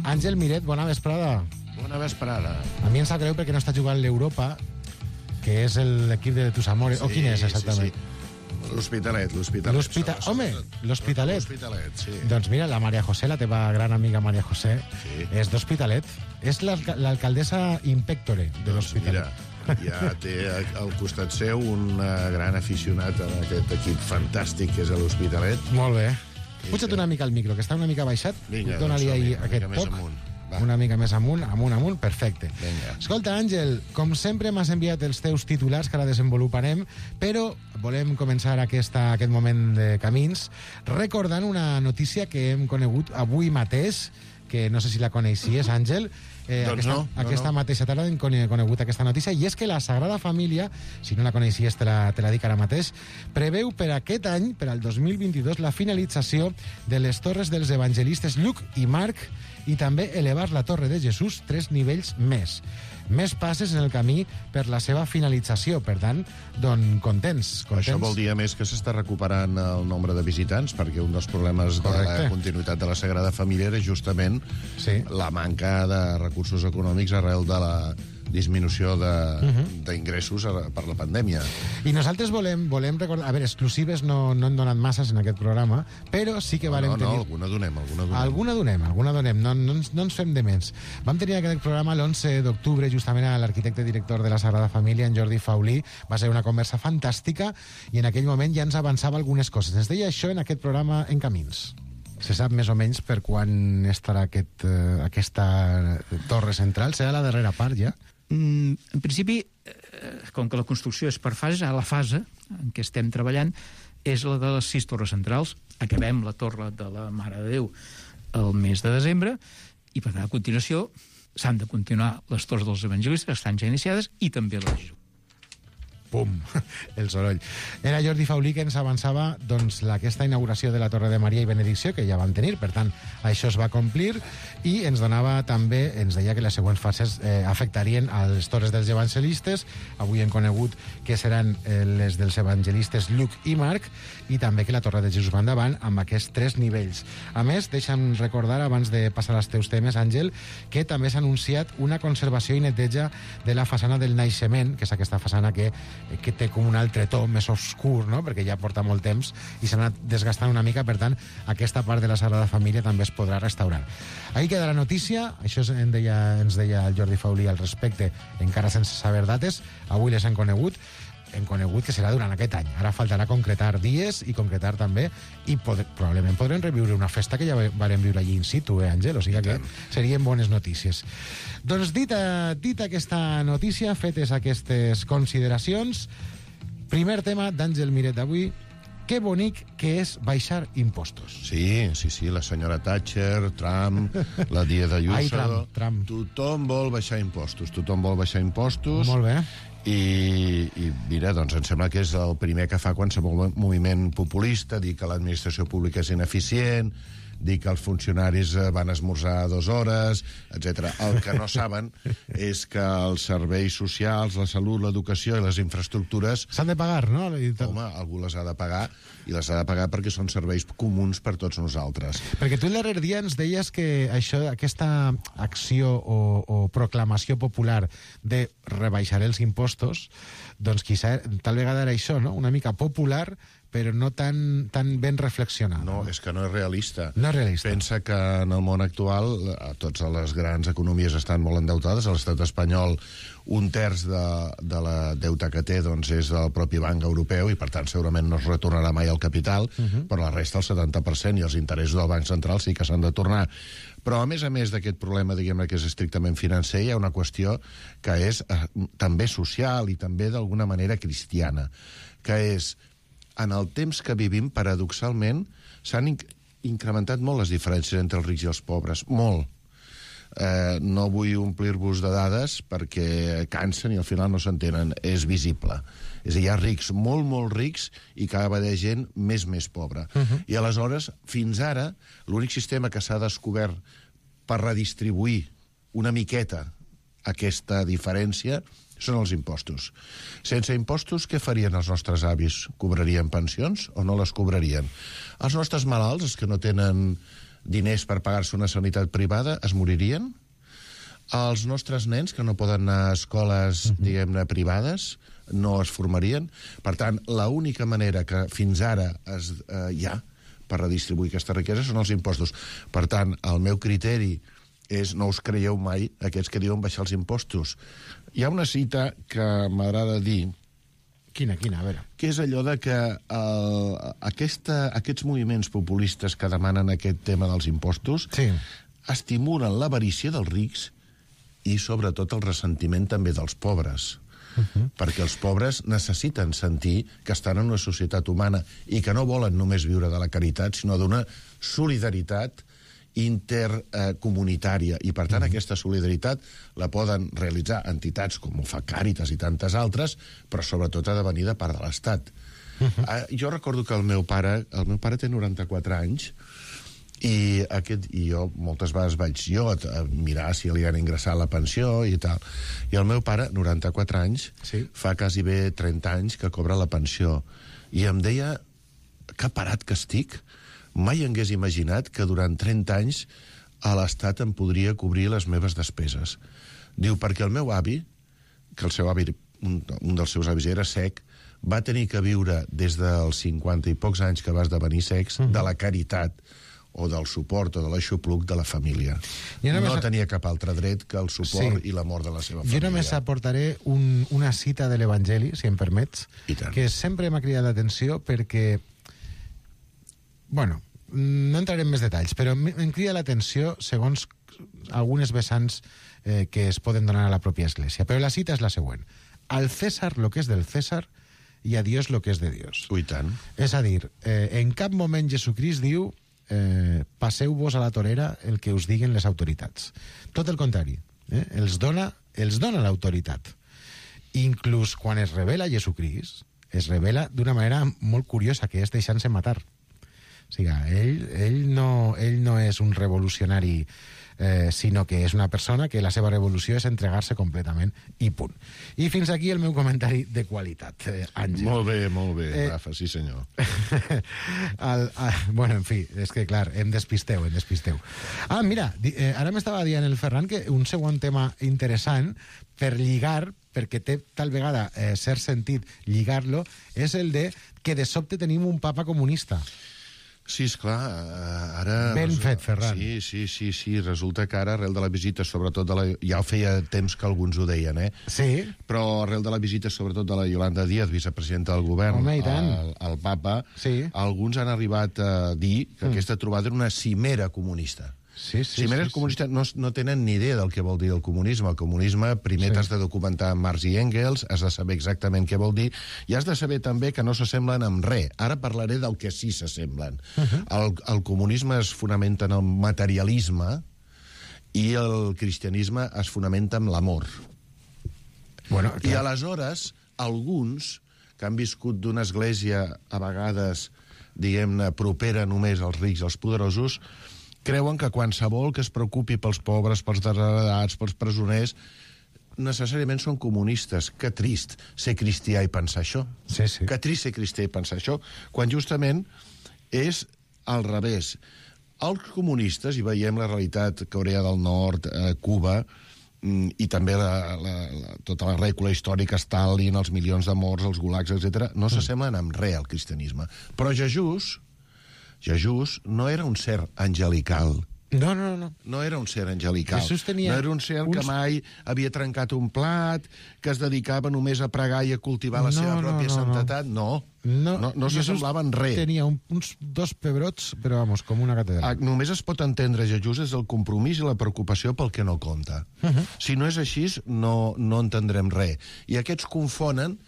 Àngel Miret, bona vesprada. Bona vesprada. A mi em sap greu perquè no està jugant l'Europa, que és l'equip de tus amores. O quin és, exactament? Sí. L'Hospitalet. Home, l'Hospitalet. L'Hospitalet, sí. Doncs mira, la Maria José, la teva gran amiga Maria José, Sí. és d'Hospitalet. És l'alcaldessa Impectore de l'Hospitalet. Mira, ja té al costat seu un gran aficionat a aquest equip fantàstic que és l'Hospitalet. Molt bé. Puja't una mica al micro, que està una mica baixat. Vinga, Dóna-li doncs ahí una aquest mica més toc. amunt. Va. Una mica més amunt, perfecte. Vinga. Escolta, Àngel, com sempre m'has enviat els teus titulars que ara desenvoluparem, però volem començar aquest moment de camins recordant una notícia que hem conegut avui mateix, que no sé si la coneixies, Àngel. Aquesta mateixa tarda hem conegut aquesta notícia, i és que la Sagrada Família, si no la coneixies te la dic ara mateix, preveu per aquest any, per al 2022, la finalització de les torres dels evangelistes Lluc i Marc, i també elevar la Torre de Jesús 3 nivells més. Més passes en el camí per la seva finalització. Per tant, doncs, contents. Això vol dir, a més, que s'està recuperant el nombre de visitants, perquè un dels problemes de la continuïtat de la Sagrada Família era justament la manca de recursos econòmics arrel de la disminució d'ingressos per la pandèmia. I nosaltres volem recordar... A veure, exclusives no hem donat masses en aquest programa, però sí que valem tenir... alguna donem. Alguna donem, no ens fem de menys. Vam tenir aquest programa l'11 d'octubre, justament a l'arquitecte director de la Sagrada Família, en Jordi Faulí. Va ser una conversa fantàstica i en aquell moment ja ens avançava algunes coses. Ens deia això en aquest programa En Camins. Se sap més o menys per quan estarà aquesta torre central? Serà la darrera part, ja? En principi, com que la construcció és per fases, a la fase en què estem treballant és la de les 6 torres centrals. Acabem la torre de la Mare de Déu el mes de desembre i, per tant, a continuació s'han de continuar les torres dels evangelistes, que estan ja iniciades, i també la de Jesús. Pum, el soroll. Era Jordi Faulí que ens avançava doncs, aquesta inauguració de la Torre de Maria i Benedicció, que ja vam tenir, per tant, això es va complir, i ens donava també, ens deia que les següents fases afectarien a les torres dels evangelistes. Avui hem conegut que seran les dels evangelistes Lluc i Marc, i també que la Torre de Jesús va endavant amb aquests 3 nivells. A més, deixa'm recordar, abans de passar als teus temes, Àngel, que també s'ha anunciat una conservació i neteja de la façana del Naixement, que és aquesta façana que té com un altre to més oscur, no? Perquè ja porta molt temps i s'ha anat desgastant una mica, per tant, aquesta part de la Sagrada Família també es podrà restaurar. Ahí queda la notícia, això ens deia el Jordi Faulí al respecte, encara sense saber dates, avui les hem conegut que serà durant aquest any. Ara faltarà concretar dies i concretar també, i probablement podrem reviure una festa que ja vam viure allí in situ, Àngel? O sigui que serien bones notícies. Doncs dita aquesta notícia, fetes aquestes consideracions, primer tema d'Àngel Miret d'avui: que bonic que és baixar impostos. Sí, la senyora Thatcher, Trump, la Díaz Ayuso... Ai, Trump. Tothom vol baixar impostos. Molt bé. I mira, doncs em sembla que és el primer que fa qualsevol moviment populista, dir que l'administració pública és ineficient, dir que els funcionaris van esmorzar 2 hores, etc. El que no saben és que els serveis socials, la salut, l'educació i les infraestructures... S'han de pagar, no? Home, algú les ha de pagar, i les ha de pagar perquè són serveis comuns per tots nosaltres. Perquè tu el darrer dia ens deies que aquesta acció o proclamació popular de rebaixar els impostos, doncs tal vegada era això, no? Una mica popular, però no tan ben reflexionada. No, és que no és realista. No és realista. Pensa que en el món actual totes les grans economies estan molt endeutades. A l'estat espanyol 1/3 de la deute que té doncs, és del propi Banc Europeu, i per tant segurament no es retornarà mai el capital, però la resta, el 70%, i els interessos del Banc Central sí que s'han de tornar. Però a més d'aquest problema, diguem-ne, que és estrictament financer, hi ha una qüestió que és també social i també d'alguna manera cristiana, que és: en el temps que vivim, paradoxalment, s'han incrementat molt les diferències entre els rics i els pobres. Molt. No vull omplir-vos de dades perquè cansen i al final no s'entenen. És visible. És a dir, hi ha rics, molt, molt rics, i cada vegada gent més pobra. I aleshores, fins ara, l'únic sistema que s'ha descobert per redistribuir una miqueta aquesta diferència són els impostos. Sense impostos, què farien els nostres avis? Cobrarien pensions o no les cobrarien? Els nostres malalts, els que no tenen diners per pagar-se una sanitat privada, es moririen? Els nostres nens, que no poden anar a escoles, diguem-ne, privades, no es formarien? Per tant, l'única manera que fins ara hi ha per redistribuir aquesta riquesa són els impostos. Per tant, el meu criteri és no us creieu mai aquests que diuen baixar els impostos. Hi ha una cita que m'agrada dir, Quina, a veure. que és allò de que aquests moviments populistes que demanen aquest tema dels impostos estimulen l'avarícia dels rics i, sobretot, el ressentiment també dels pobres. Perquè els pobres necessiten sentir que estan en una societat humana i que no volen només viure de la caritat, sinó d'una solidaritat intercomunitària. I, per tant, aquesta solidaritat la poden realitzar entitats com ho fa Càritas i tantes altres, però sobretot ha de venir de part de l'Estat. Jo recordo que el meu pare té 94 anys, i jo moltes vegades vaig a mirar si li han ingressat la pensió i tal. I el meu pare, 94 anys, fa quasi bé 30 anys que cobra la pensió. I em deia, que parat que estic, mai hagués imaginat que durant 30 anys a l'Estat em podria cobrir les meves despeses. Diu, perquè el meu avi, que el seu avi, un dels seus avis era cec, va tenir que viure des dels 50 i pocs anys que va esdevenir cecs de la caritat o del suport o de l'aixopluc de la família. No tenia cap altre dret que el suport i l'amor de la seva família. Jo només aportaré una cita de l'Evangeli, si em permets, que sempre m'ha cridat l'atenció perquè, bueno, no entraré en més detalls, però em crida l'atenció segons algunes vessants que es poden donar a la pròpia Església. Però la cita és la següent. Al César lo que és del César i a Dios lo que és de Dios. Ui, tant. És a dir, en cap moment Jesucrist diu passeu-vos a la torera el que us diguen les autoritats. Tot el contrari. Els dona l'autoritat. Inclús quan es revela Jesucrist, es revela d'una manera molt curiosa, que és deixant-se matar. O sigui, ell no és un revolucionari, sinó que és una persona que la seva revolució és entregar-se completament i punt. I fins aquí el meu comentari de qualitat, Àngel. Molt bé, Rafa, sí senyor. Bueno, en fi, és que clar, em despisteu. Ah, mira, ara m'estava dient el Ferran que un segon tema interessant per lligar, perquè té tal vegada cert sentit lligar-lo, és el de que de sobte tenim un papa comunista. Sí, esclar, ara... Ben fet, Ferran. Sí, resulta que ara, arrel de la visita, sobretot ja feia temps que alguns ho deien, Sí. Però arrel de la visita, sobretot de la Yolanda Díaz, vicepresidenta del govern, al papa, alguns han arribat a dir que aquesta trobada era una cimera comunista. Cimeres comunistes no tenen ni idea del que vol dir el comunisme. El comunisme primer t'has de documentar amb Marx i Engels, has de saber exactament què vol dir, i has de saber també que no s'assemblen amb res. Ara parlaré del que sí s'assemblen. El comunisme es fonamenta en el materialisme i el cristianisme es fonamenta en l'amor. I aleshores, alguns que han viscut d'una església a vegades, diguem-ne, propera només als rics i als poderosos, creuen que qualsevol que es preocupi pels pobres, pels desheredats, pels presoners, necessàriament són comunistes. Que trist ser cristià i pensar això. Que trist ser cristià i pensar això, quan justament és al revés. Els comunistes, i veiem la realitat Corea del Nord, Cuba, i també tota la rècula històrica, Stalin, els milions de morts, els gulags, etc., no s'assemblen amb res al cristianisme. Però Jesús no era un ser angelical. No. No era un ser angelical. No era un ser que mai havia trencat un plat, que es dedicava només a pregar i a cultivar la seva pròpia santetat. No s'assemblava en res. Tenia uns 2 pebrots, però, vamos, com una catedral. Només es pot entendre Jesús des del compromís i la preocupació pel que no compta. Si no és així, no entendrem res. I aquests confonen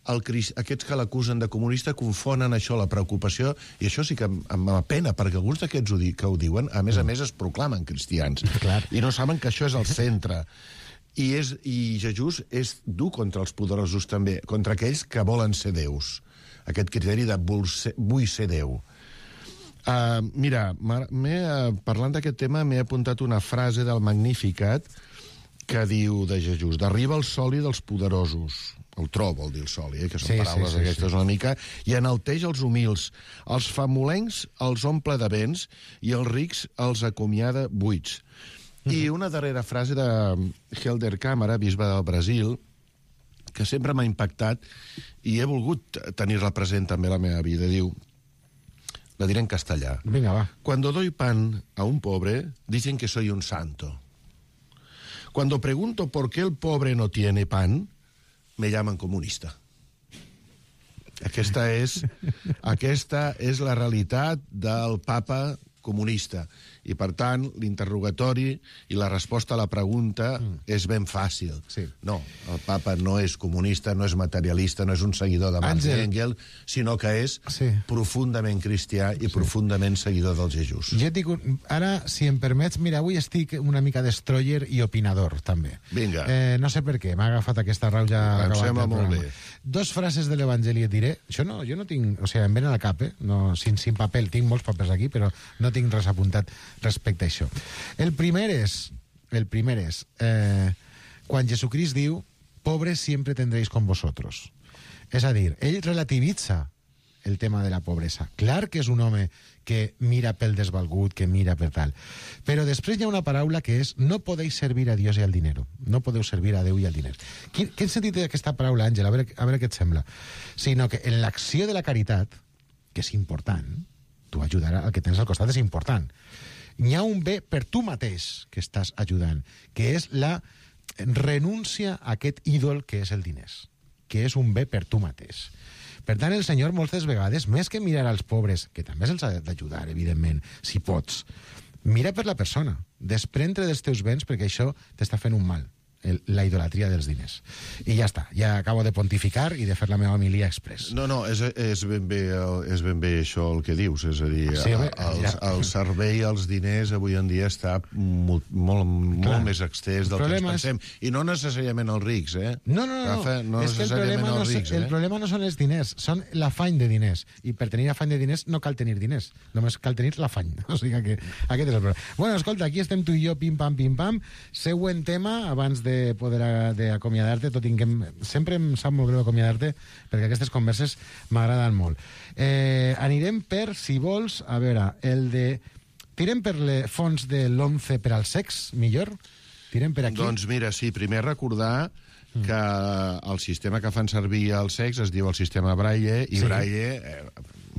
aquests que l'acusen de comunista confonen això, la preocupació, i això sí que em pena, perquè alguns d'aquests que ho diuen, a més es proclamen cristians. I no saben que això és el centre. I Jesús és dur contra els poderosos també, contra aquells que volen ser déus. Aquest criteri de vull ser Déu. Mira, parlant d'aquest tema, m'he apuntat una frase del Magnificat que diu de Jesús: d'arriba el soli dels poderosos, el tro vol dir el soli, que són paraules aquestes una mica, i enalteix els humils, els famolencs els omple de béns i els rics els acomiada buits. I una darrera frase de Helder Câmara, bisbe del Brasil, que sempre m'ha impactat i he volgut tenir-la present també a la meva vida. Diu, la diré en castellà: Vinga, va. Cuando doy pan a un pobre, dicen que soy un santo. Cuando pregunto por qué el pobre no tiene pan, me llaman comunista. Aquesta és la realitat del papa comunista. I, per tant, l'interrogatori i la resposta a la pregunta és ben fàcil. Sí. No, el papa no és comunista, no és materialista, no és un seguidor de Marx i Engels, sinó que és profundament cristià i profundament seguidor del Jesús. Jo et dic, ara, si em permets, mira, avui estic una mica destroyer i opinador, també. Vinga. No sé per què, m'ha agafat aquesta rauja. Em sembla molt bé. Dos frases de l'Evangeli et diré. Jo no tinc... O sigui, em venen al cap, no, sin paper, tinc molts papers aquí, però no tinc res apuntat respecte a això. El primer és quan Jesucrist diu pobres siempre tendréis con vosotros. És a dir, ell relativitza el tema de la pobresa. Clar que és un home que mira pel desvalgut, que mira per tal. Però després hi ha una paraula que és no podeu servir a Dios i al dinero. No podeu servir a Déu i al diner. Quin sentit té aquesta paraula, Àngel? A veure què et sembla. Sinó que en l'acció de la caritat, que és important, tu ajudar al que tens al costat és important. Hi ha un bé per tu mateix que estàs ajudant, que és la renúncia a aquest ídol que és el diners, que és un bé per tu mateix. Per tant, el Senyor moltes vegades, més que mirar als pobres, que també se'ls ha d'ajudar, evidentment, si pots, mira per la persona, desprendre dels teus béns perquè això t'està fent un mal, la idolatria dels diners. I ja està, ja acabo de pontificar i de fer la meva homilia express. No, és ben bé això el que dius, és a dir, el servei als diners avui en dia està molt més extès del que ens pensem. I no necessàriament els rics, No, Rafa, no és que el problema no són els diners, són l'afany de diners. I per tenir afany de diners no cal tenir diners, només cal tenir l'afany. O sigui que aquest és el problema. Bueno, escolta, aquí estem tu i jo, pim-pam. Següent tema, abans de poder acomiadar-te, tot i que sempre em sap molt greu acomiadar-te, perquè aquestes converses m'agraden molt. Anirem per, si vols, a veure, tirem per les fons de l'11 per al sex, millor? Tirem per aquí? Doncs mira, sí, primer recordar que el sistema que fan servir al sex es diu el sistema Braille, i Braille...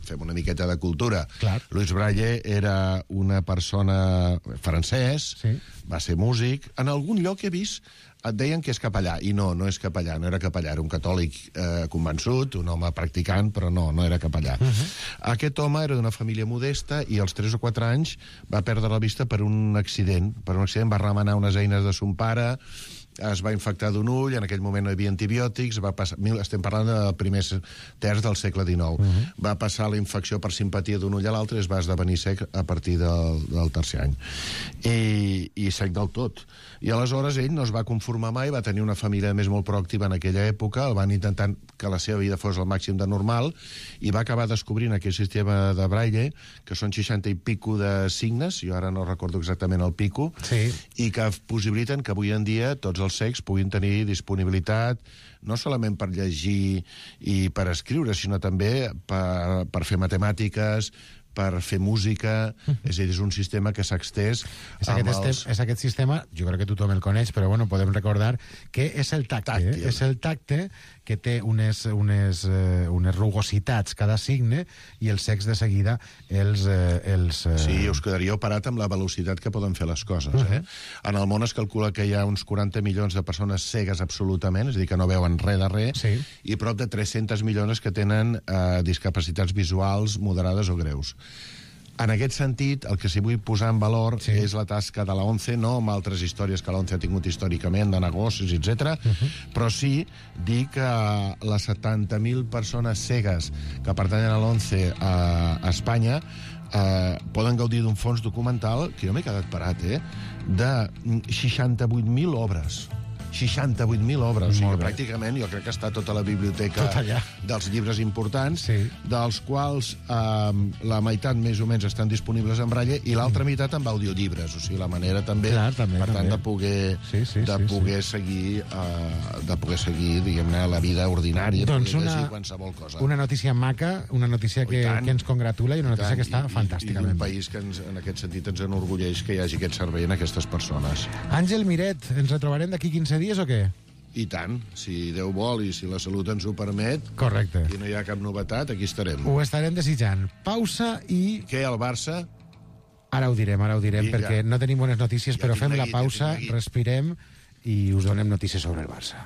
fem una miqueta de cultura. Clar. Louis Braille era una persona francès, va ser músic. En algun lloc he vist, et deien que és capellà, i no és capellà, no era capellà, era un catòlic convençut, un home practicant, però no era capellà. Aquest home era d'una família modesta i als 3 o 4 anys va perdre la vista per un accident. Va remenar unes eines de son pare, es va infectar d'un ull, en aquell moment no hi havia antibiòtics, estem parlant del primer terç del segle XIX. Va passar la infecció per simpatia d'un ull a l'altre i es va esdevenir sec a partir del tercer any. I sec del tot. I aleshores ell no es va conformar mai, va tenir una família més molt proactiva en aquella època, el van intentar que la seva vida fos el màxim de normal, i va acabar descobrint aquell sistema de Braille, que són 60 i pico de signes, jo ara no recordo exactament el pico, i que possibiliten que avui en dia tots els cecs puguin tenir disponibilitat no solament per llegir i per escriure, sinó també per fer matemàtiques, per fer música, és a dir, és un sistema que s'ha extès és aquest sistema, jo crec que tothom el coneix, però bueno, podem recordar que és el tacte, és el tacte que té unes rugositats cada signe i els cecs de seguida els... Sí, us quedaríeu parat amb la velocitat que poden fer les coses. En el món es calcula que hi ha uns 40 milions de persones cegues absolutament, és a dir, que no veuen res de res, i prop de 300 milions que tenen discapacitats visuals moderades o greus. En aquest sentit, el que s'hi vull posar en valor és la tasca de la ONCE, no amb altres històries que la ONCE ha tingut històricament, de negocis, etc. Però sí dir que les 70.000 persones cegues que pertanyen a l'ONCE a Espanya poden gaudir d'un fons documental, que jo m'he quedat parat, de 68.000 obres. 68.000 obres, o sigui que pràcticament jo crec que està tota la biblioteca dels llibres importants, Sí. dels quals la meitat més o menys estan disponibles en braille i l'altra meitat amb audiollibres, o sigui, la manera també, Clar, també, per tant, també. de poder, seguir, diguem-ne, la vida ordinària, Doncs poder llegir qualsevol cosa. una notícia maca, una notícia que ens congratula i una notícia que està fantàsticament I un bé. país que en aquest sentit ens enorgulleix que hi hagi aquest servei en aquestes persones. Àngel Miret, ens retrobarem d'aquí 15 dies o què? I tant, si Déu vol i si la salut ens ho permet, Correcte. i no hi ha cap novetat, aquí estarem. Ho estarem desitjant. Pausa i... Què, el Barça? Ara ho direm, Vinga. perquè no tenim bones notícies, Ja però tinc fem la neguit, ja pausa, tinc neguit. respirem i us donem notícies sobre el Barça.